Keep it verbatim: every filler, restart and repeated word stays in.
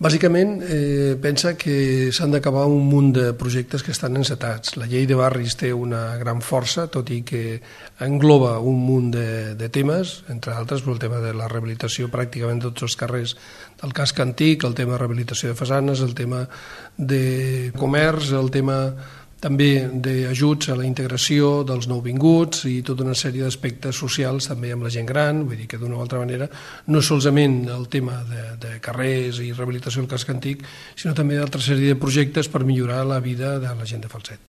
Bàsicament, eh, pensa que s'han d'acabar un munt de projectes que estan encetats. La llei de barris té una gran força, tot i que engloba un munt de, de temes, entre altres el tema de la rehabilitació pràcticament de tots els carrers del casc antic, el tema de rehabilitació de façanes, el tema de comerç, el tema també d'ajuts a la integració dels nouvinguts i tota una sèrie d'aspectes socials també amb la gent gran, vull dir que d'una o altra manera no solament el tema de, de carrers i rehabilitació del casc antic, sinó també d'altra sèrie de projectes per millorar la vida de la gent de Falset.